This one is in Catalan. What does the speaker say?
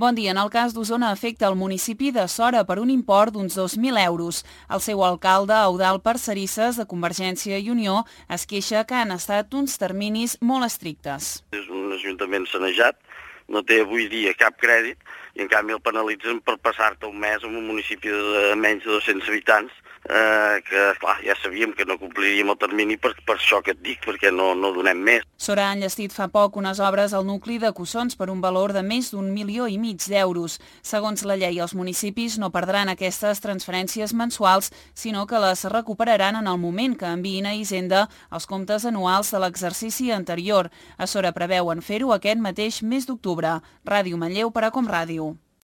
Bon dia. En el cas d'Osona afecta el municipi de Sora per un import d'uns 2.000 euros. El seu alcalde, Eudald Parcerisses, de Convergència i Unió, es queixa que han estat uns terminis molt estrictes. És un ajuntament sanejat, no té avui dia cap crèdit i en canvi el penalitzen per passar-te un mes en un municipi de menys de 200 habitants, que clar, ja sabíem que no compliríem el termini per això que et dic, perquè no donem més. Sora ha enllestit fa poc unes obres al nucli de Cussons per un valor de més d'1,5 milions d'euros. Segons la llei, els municipis no perdran aquestes transferències mensuals, sinó que les recuperaran en el moment que enviïn a Hisenda els comptes anuals de l'exercici anterior. A Sora preveuen fer-ho aquest mateix mes d'octubre. Ràdio Manlleu per a Com Ràdio.